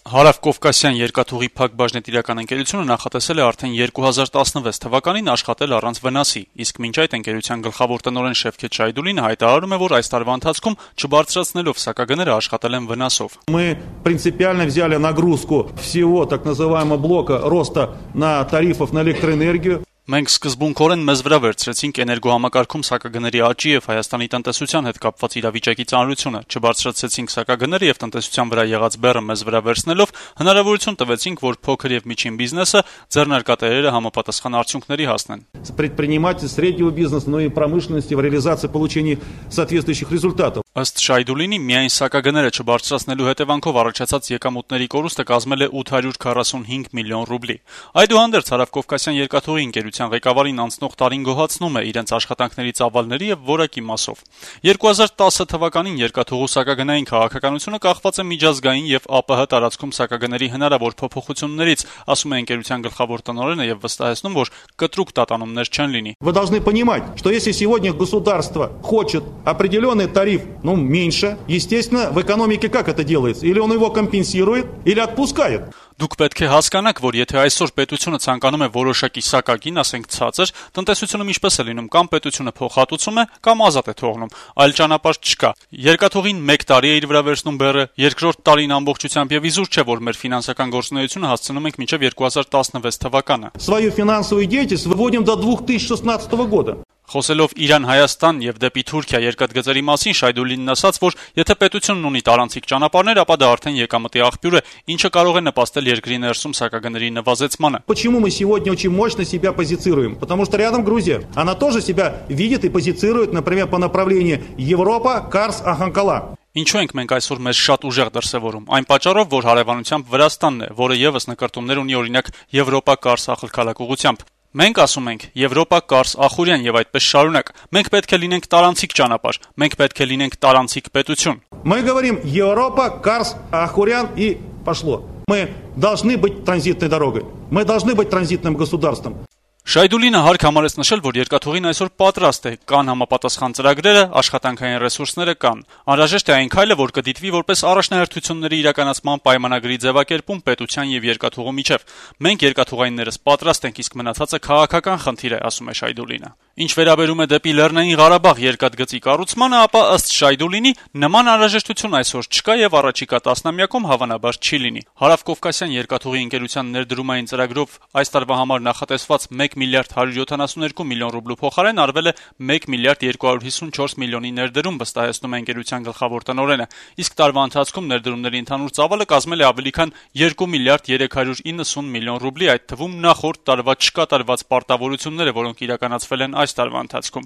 Հարավկովկասյան երկաթուղի փակ բաժնետիրական ընկերությունը նախատեսել է արդեն 2016 թվականին աշխատել առանց վնասի, իսկ մինչ այդ ընկերության գլխավոր տնօրեն Շևքեթ Շայդուլին հայտարարում է, որ այս տարվա ընթացքում չբարձրացնելով սակագները աշխատել են վնասով. Мы принципиально взяли нагрузку всего так называемого блока роста на тарифов на электроэнергию. Մենք սկզբունքորեն մեզ վրա վերցրեցինք էներգոհամակարգում սակագների աճի եւ Հայաստանի տնտեսության հետ կապված իրավիճակի ծանրությունը, չբարձրացրեցինք սակագները եւ տնտեսության վրա եղած բեռը մեզ վրա վերցնելով հնարավորություն տվեցինք, որ փոքր եւ միջին բիզնեսը ձեռնարկատերերը համապատասխան արդյունքների հասնեն. Предприниматель среднего бизнеса, но и промышленности в реализации получения соответствующих результатов. Ըստ Շայդուլինի, միայն սակագները չբարձրացնելու հետևանքով առաջացած եկամուտների կորուստը կազմել է 845 միլիոն ռուբլի։ Այդուհանդերձ Հարավկովկասյան երկաթուղի ընկերության ղեկավարին անցնող տարին գոհացնում է իրենց աշխատանքների ծավալների եւ որակի մասով։ 2010 թվականին երկաթուղու սակագնային քաղաքականությունը կախված է միջազգային եւ ԱՊՀ տարածքում սակագների հնարավոր փոփոխություններից, ասում է ընկերության գլխավոր տնօրենը եւ վստահեցնում, որ կտրուկ տատանումներ չեն լինի։ Вы должны понимать, что если сегодня государство хочет определенный тариф, меньше, естественно, в экономике как это делается? Или он его компенсирует, или отпускает. Դուք պետք է հասկանաք, որ եթե այսօր պետությունը ցանկանում է որոշակի սակագին, ասենք ցածր, տնտեսությունում ինչպես է լինում, կամ պետությունը փոխհատուցում է, կամ ազատ է թողնում, այլ ճանապարհ չկա։ Երկաթուղին 1 տարի է իր վրա վերցնում բեռը, երկրորդ տարին ամբողջությամբ եւ իզուր չէ, որ մեր ֆինանսական գործունեությունը հասցնում ենք մինչեւ 2016 թվականը։ Свою финансовую деятельность выводим до 2016 года. Խոսելով Իրան-Հայաստան եւ դեպի Թուրքիա երկաթգծերի մասին Շայդուլինն ասաց, որ եթե պետությունն ունի տարանցիկ ճանապարհներ, ապա դա արդեն եկամտի աղբյուր է, ինչը կարող է նպաստել երկրի ներսում սակագների նվազեցմանը։ Почему мы сегодня очень мощно себя позицируем? Потому что рядом Грузия. Она тоже себя видит и позицирует, например, по направлению Европа, Карс, Аханкала. Ինչու ենք մենք այսօր մեզ շատ ուժեղ դրսևորում։ Այն պատճառով, որ հարևանությամբ Վրաստանն է, որը եւս նկարտումներ ունի օրինակ Եվրոպա Կարս ախալքալակ ուղղությամբ։ Մենք ասում ենք Եվրոպա Կարս Ախուրյան եւ այդպես շարունակ։ Մենք պետք է լինենք տարանցիկ ճանապարհ, մենք պետք է լինենք տարանցիկ պետություն։ Мы говорим Европа, Карс, Ахурян и пошло. Мы должны быть транзитной дорогой. Мы должны быть транзитным государством. Շայդուլինը հարկ համարեց նշել, որ երկաթուղին այսօր պատրաստ է, կան համապատասխան ծրագրերը, աշխատանքային ռեսուրսները կան։ Անհրաժեշտ է այն քայլը, որ կդիտվի որպես առաջնահերթությունների իրականացման պայմանագրի ձևակերպում պետության եւ երկաթուղու միջեւ։ Մենք երկաթուղայիններս պատրաստ ենք, իսկ մնացածը քաղաքական խնդիր է, ասում է Շայդուլինը։ Ինչ վերաբերում է դեպի Լեռնային Ղարաբաղ երկաթգծի կառուցմանը, ապա ըստ Շայդուլինի նման անհրաժեշտություն այսօր չկա եւ առաջիկա տասնամյակում հավանաբար չի լինի։ Հարավկովկասյան երկաթուղի ընկերության ներդրումային ծրագրով այս տարվա համար նախատեսված 1 միլիարդ 172 միլիոն ռուբլու փոխարեն արվել է 1 միլիարդ 254 միլիոնի ներդրում, վստահեցնում է ընկերության գլխավոր տնօրենը, իսկ տարվա ընթացքում ներդրումների ընդհանուր ծավալը կազմել է ավելի քան 2 միլիարդ 390 միլիոն ռուբլի, այդ թվում նախորդ տարվա չկատարված պարտավորությունները, որոնք իրականացվել են այս տարվա ընթացքում։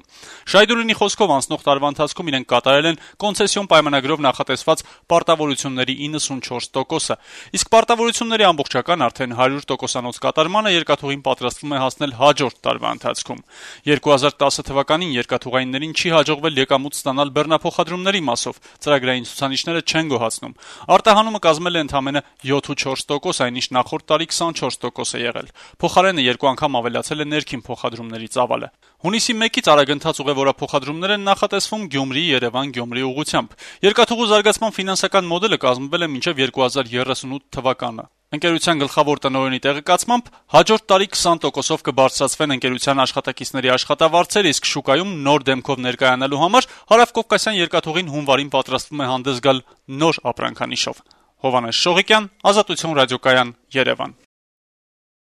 Շայդուլինի խոսքով անցնող տարվա ընթացքում իրենք կատարել են կոնցեսիոն պայմանագրով նախատեսված պարտավորությունների 94%-ը, իսկ պարտավորությունների ամբողջական արդեն 100%-անոց կատարմանը երկաթուղին պատրաստվում է հասնել հաջորդ տարվա ընթացքում։ 2010 թվականին երկաթուղայիններին չի հաջողվել եկամուտ ստանալ բեռնափոխադրումների մասով, ծրագրային ցուցանիշները չեն գոհացնում։ Արտահանումը կազմել է ընդամենը 7.4%, այնինչ նախորդ տարի 24% է եղել։ Փոխարենը 2 անգամ ավելացել է ներքին փոխադրումների ծավալը։ Հունիսի 1-ից արագընթաց ուղևորափոխադրումներ են նախատեսվում Գյումրի, Երևան, Գյումրի ուղղությամբ։ Երկաթուղու զարգացման ֆինանսական մոդելը կազմվել է մինչև 2038 թվականը։ Ընկերության գլխավոր տնօրենի տեղեկացմամբ հաջորդ տարի 20%-ով կբարձրացվեն ընկերության աշխատակիցների աշխատավարձերը, իսկ շուկայում նոր դեմքով ներկայանալու համար Հարավկովկասյան երկաթուղին հունվարին պատրաստվում է հանդես գալ նոր ապրանքանիշով։ Հովհաննես Շողիկյան, Ազատություն ռադիոկայան, Երևան։